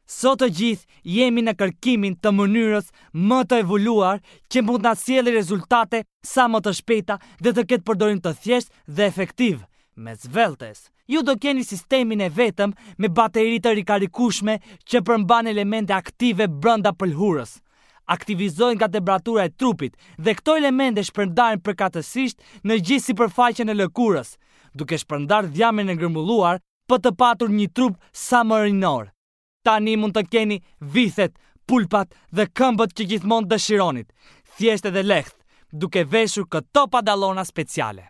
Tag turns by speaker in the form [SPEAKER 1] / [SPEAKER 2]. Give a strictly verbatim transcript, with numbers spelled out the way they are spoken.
[SPEAKER 1] Sot të gjithë jemi në kërkimin të mënyrës më të evoluar që mund na sjellë rezultate sa më të shpejta dhe të ketë përdorim të thjeshtë dhe efektiv. Me Sveltes, ju do keni sistemin e vetëm me bateri të rikarikueshme që përmban elemente aktive brenda pëlhurës. Aktivizohen nga temperatura e trupit dhe këto elemente shpërndaren përkatësisht në gjithë sipërfaqen e lëkurës, duke shpërndarë dhjamin e grumulluar për të patur një trup sa më rinor. Tani mund të keni vithet, pulpat dhe këmbët që gjithmonë dëshironit, thjesht edhe lehtë, duke veshur këto padallona speciale.